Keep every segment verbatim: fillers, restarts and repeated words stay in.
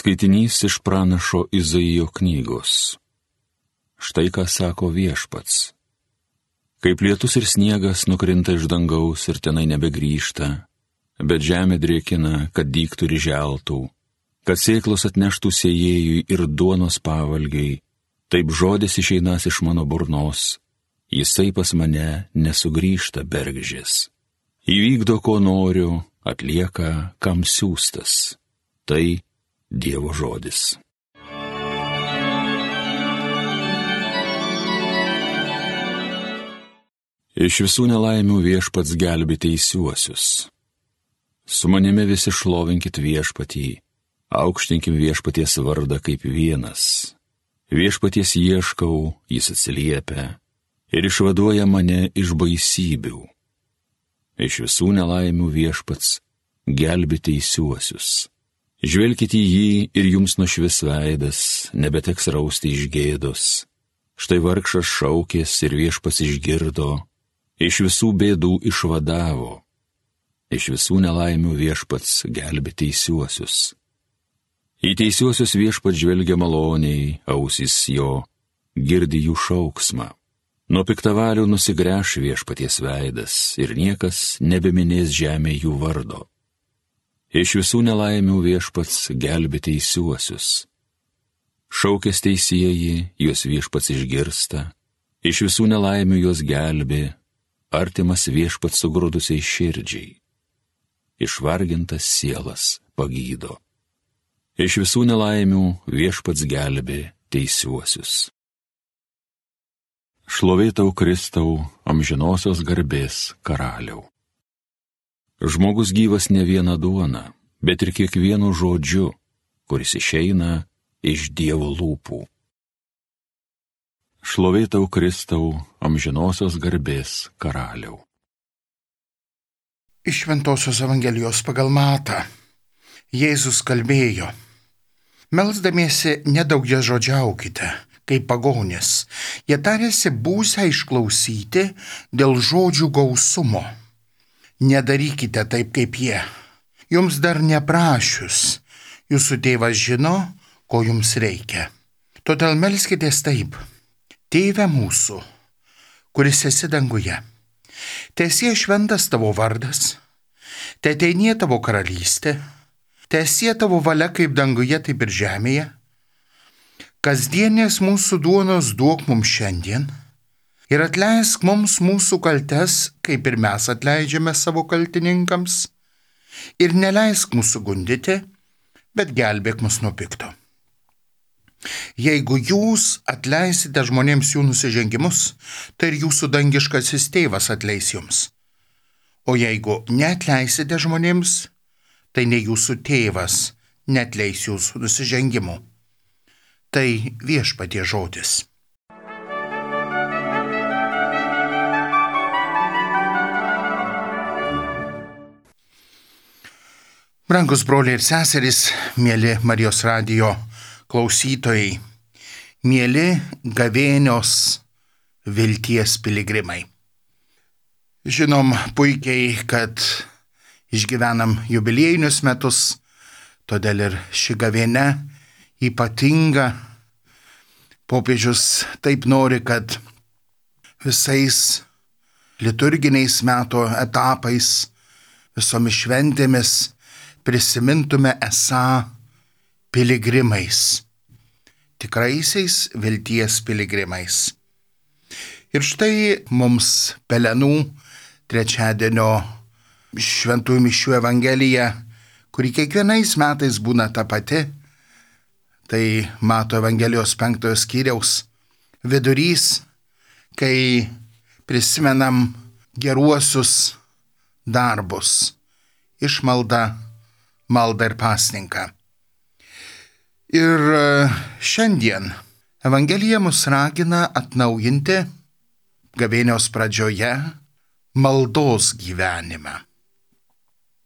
Skaitinys iš pranašo Izaijo knygos. Štai ką sako Viešpats. Kaip lietus ir sniegas nukrinta iš dangaus ir tenai nebegrįžta, bet žemė drėkina, kad dygtų ir želtų, kad sėklos atneštų sėjėjui ir duonos pavalgiai, taip žodis išeinas iš mano burnos, jisai pas mane nesugrįžta bergždžias. Įvykdo, ko noriu, atlieka, kam siųstas. Tai Dievo žodis. Iš visų nelaimių Viešpats gelbi teisiuosius. Su manimi visi šlovinkit Viešpatį, aukštinkim Viešpaties vardą kaip vienas. Viešpaties ieškau, jis atsiliepia ir išvaduoja mane iš baisybių. Iš visų nelaimių Viešpats gelbi teisiuosius. Žvelkite į jį ir jums nušvis veidas, nebeteks rausti iš gėdos. Štai vargšas šaukės ir Viešpats išgirdo, iš visų bėdų išvadavo. Iš visų nelaimių Viešpats gelbi teisiuosius. Į teisiuosius Viešpats žvelgia maloniai, ausys jo girdi jų šauksmą. Nuo piktavalių nusigręš Viešpaties veidas ir niekas nebeminės žemė jų vardo. Iš visų nelaimių Viešpats gelbi teisiuosius. Šaukės teisieji, juos Viešpats išgirsta, iš visų nelaimių juos gelbi, artimas Viešpats sugrūdusiai širdžiai. Išvargintas sielas pagydo. Iš visų nelaimių Viešpats gelbi teisiuosius. Šlovė tau, Kristau, amžinosios garbės karaliau. Žmogus gyvas ne viena duona, bet ir kiekvienu žodžiu, kuris išeina iš Dievo lūpų. Šlovė tau, Kristau, amžinosios garbės karaliau. Iš Šventosios Evangelijos pagal Matą. Jėzus kalbėjo: melsdamiesi nedaugiažodžiaukite, kaip pagonys. Jie tarėsi būsią išklausyti dėl žodžių gausumo. Nedarykite taip kaip jie. Jums dar neprašius, jūsų tėvas žino, ko jums reikia. Todėl melskitės taip: Tėve mūsų, kuris esi danguje, teesie šventas tavo vardas, teateinie tavo karalystė, teesie tavo valia kaip danguje, taip ir žemėje. Kasdienės mūsų duonos duok mums šiandien ir atleisk mums mūsų kaltes, kaip ir mes atleidžiame savo kaltininkams, ir neleisk mūsų gundyti, bet gelbėk mus nuo pikto. Jeigu jūs atleisite žmonėms jų nusižengimus, tai ir jūsų dangiškasis tėvas atleis jums. O jeigu neatleisite žmonėms, tai ne jūsų tėvas neatleis jūsų nusižengimų. Tai Viešpaties žodis. Brangus broliai ir seserys, mieli Marijos radijo klausytojai, mieli gavėnios vilties piligrimai. Žinom puikiai, kad išgyvenam jubiliejinius metus, todėl ir ši gavėnia ypatinga. Popiežius taip nori, kad visais liturginiais metų etapais, visomis šventėmis prisimintume esą piligrimais, tikraisiais vilties piligrimais. Ir štai mums Pelenų trečiadienio šventųjų mišių evangelija, kuri kiekvienais metais būna ta pati, tai Mato Evangelijos penktojo skyriaus vidurys, kai prisimenam geruosius darbus, išmaldą, maldą ir pasninką. Ir šiandien Evangelija mus ragina atnaujinti gavėnios pradžioje maldos gyvenimą.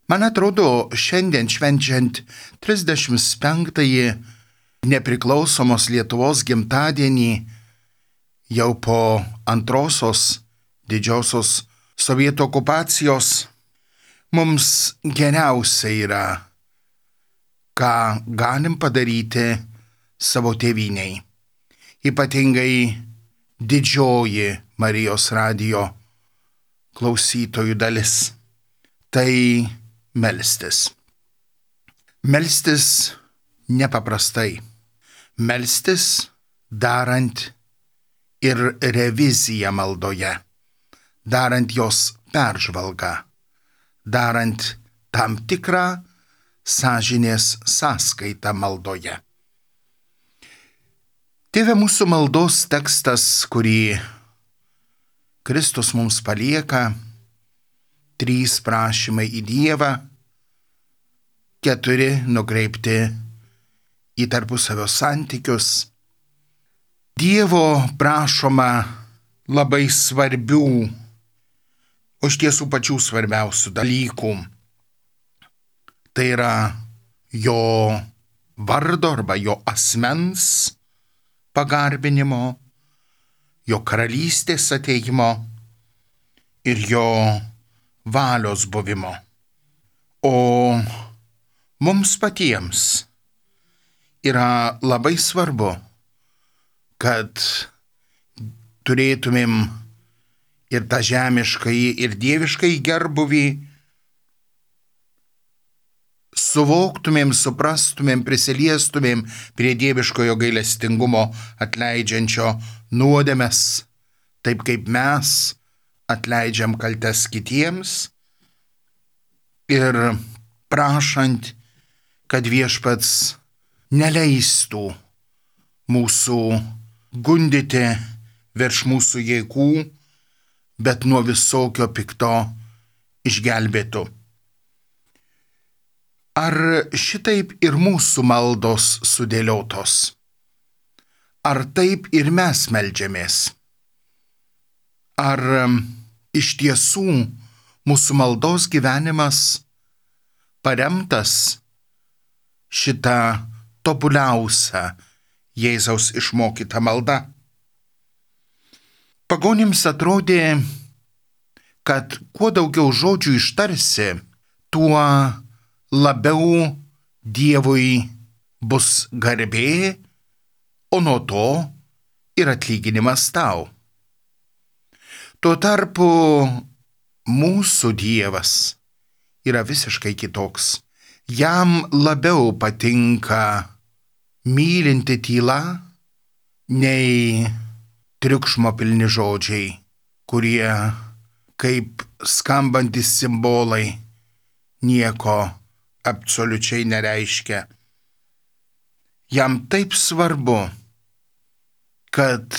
Man atrodo, šiandien švenčiant trisdešimt penktąjį nepriklausomos Lietuvos gimtadienį, jau po antrosios didžiosios sovietų okupacijos, mums geriausia yra ką galim padaryti savo tėvyniai. Ypatingai didžioji Marijos radijo klausytojų dalis. Tai melstis. Melstis nepaprastai. Melstis darant ir reviziją maldoje, darant jos peržvalgą, darant tam tikrą sąžinės sąskaitą maldoje. Tėve, mūsų maldos tekstas, kurį Kristus mums palieka, trys prašymai į Dievą, keturi nukreipti į tarpusavio santykius. Dievo prašoma labai svarbių, o iš tiesų pačių svarbiausių dalykų. Tai yra jo vardo arba jo asmens pagarbinimo, jo karalystės ateimo ir jo valios buvimo. O mums patiems yra labai svarbu, kad turėtumėm ir tą žemiškai, ir dieviškai gerbuvį, suvoktumėm, suprastumėm, prisiliestumėm prie dieviškojo gailestingumo atleidžiančio nuodėmes, taip kaip mes atleidžiam kaltes kitiems ir prašant, kad viešpats neleistų mūsų gundyti virš mūsų jėgų, bet nuo visokio pikto išgelbėtų. Ar šitaip ir mūsų maldos sudėliotos? Ar taip ir mes meldžiamės? Ar iš tiesų mūsų maldos gyvenimas paremtas šitą tobuliausią Jėzaus išmokytą maldą? Pagonims atrodė, kad kuo daugiau žodžių ištarsi, tuo labiau Dievui bus garbė, o nuo to ir atlyginimas tau. Tuo tarpu mūsų Dievas yra visiškai kitoks. Jam labiau patinka mylinti tyla, nei triukšmo pilni žodžiai, kurie kaip skambantis simbolai nieko absoliučiai nereiškia. Jam taip svarbu, kad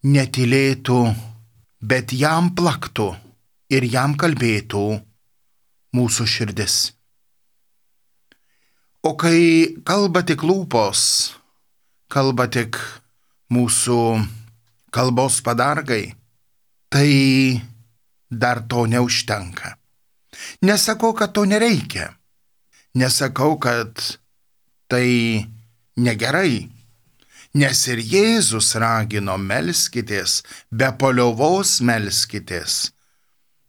netylėtų, bet jam plaktų ir jam kalbėtų mūsų širdis. O kai kalba tik lūpos, kalba tik mūsų kalbos padargai, tai dar to neužtenka. Nesakau, kad to nereikia. Nesakau, kad tai negerai, nes ir Jėzus ragino melskitės, be paliovos melskitės.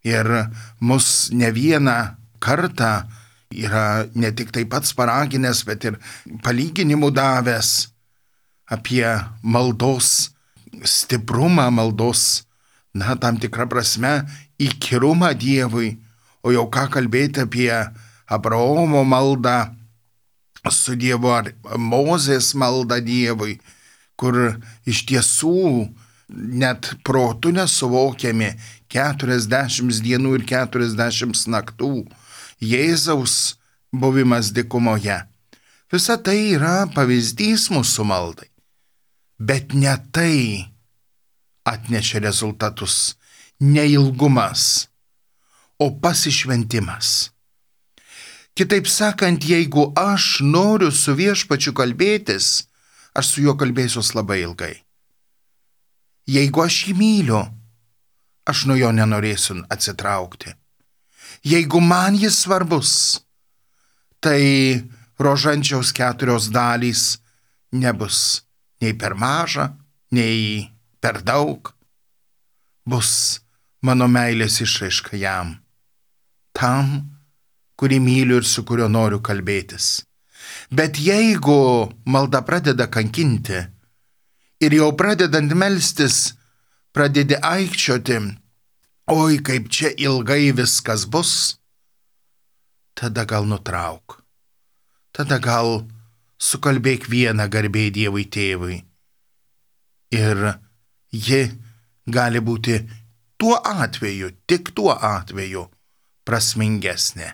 Ir mus ne vieną kartą yra ne tik tai pats paraginęs, bet ir palyginimų davęs apie maldos stiprumą, maldos, na, tam tikrą prasme, įkyrumą Dievui, o jau ką kalbėti apie Abraomo maldą su Dievu ar Mozės maldą Dievui, kur iš tiesų net protu nesuvokiami keturiasdešimt dienų ir keturiasdešimt naktų Jėzaus buvimas dykumoje. Visa tai yra pavyzdys mūsų maldai, bet ne tai atnešė rezultatus, ne ilgumas, o pasišventimas. Kitaip sakant, jeigu aš noriu su viešpačiu kalbėtis, aš su juo kalbėsiu labai ilgai. Jeigu aš jį myliu, aš nuo jo nenorėsiu atsitraukti. Jeigu man jis svarbus, tai rožančiaus keturios dalys nebus nei per maža, nei per daug. Bus mano meilės išraiška jam, tam, kurį myliu ir su kuriuo noriu kalbėtis. Bet jeigu malda pradeda kankinti ir jau pradedant melstis, pradedi aikčioti, oi kaip čia ilgai viskas bus, tada gal nutrauk. Tada gal sukalbėk vieną garbė Dievui tėvui. Ir ji gali būti tuo atveju, tik tuo atveju prasmingesnė.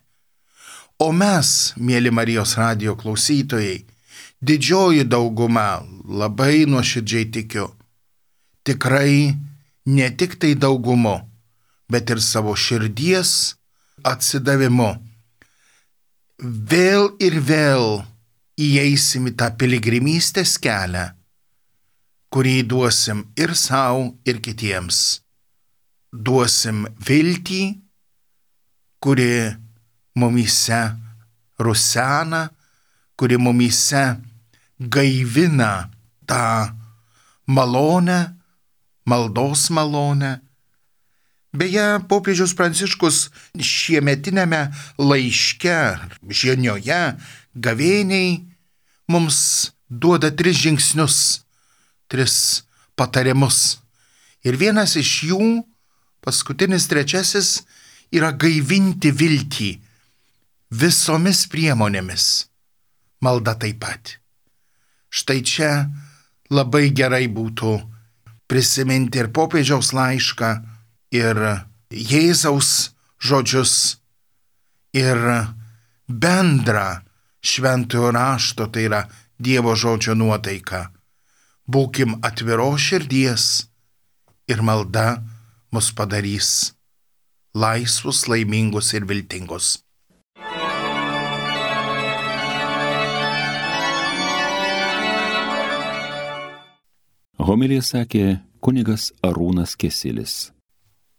O mes, mėly Marijos radijo klausytojai, didžioji dauguma, labai nuoširdžiai tikiu, tikrai ne tik tai daugumu, bet ir savo širdies atsidavimu. Vėl ir vėl įeisim į tą piligrimystės kelią, kurį duosim ir savo, ir kitiems. Duosim viltį, kuri mumyse rusena, kuri mumyse gaivina tą malonę, maldos malonę. Beje, popiežius Pranciškus šiemetinėme laiške, žinioje, gavėniai mums duoda tris žingsnius, tris patarimus. Ir vienas iš jų, paskutinis trečiasis, yra gaivinti viltį visomis priemonėmis. Malda taip pat. Štai čia labai gerai būtų prisiminti ir popiežiaus laišką, ir Jėzaus žodžius, ir bendrą šventojo rašto, tai yra Dievo žodžio nuotaiką. Būkim atviros širdies ir malda mus padarys laisvus, laimingus ir viltingus. Homiliją sakė kunigas Arūnas Kesilis.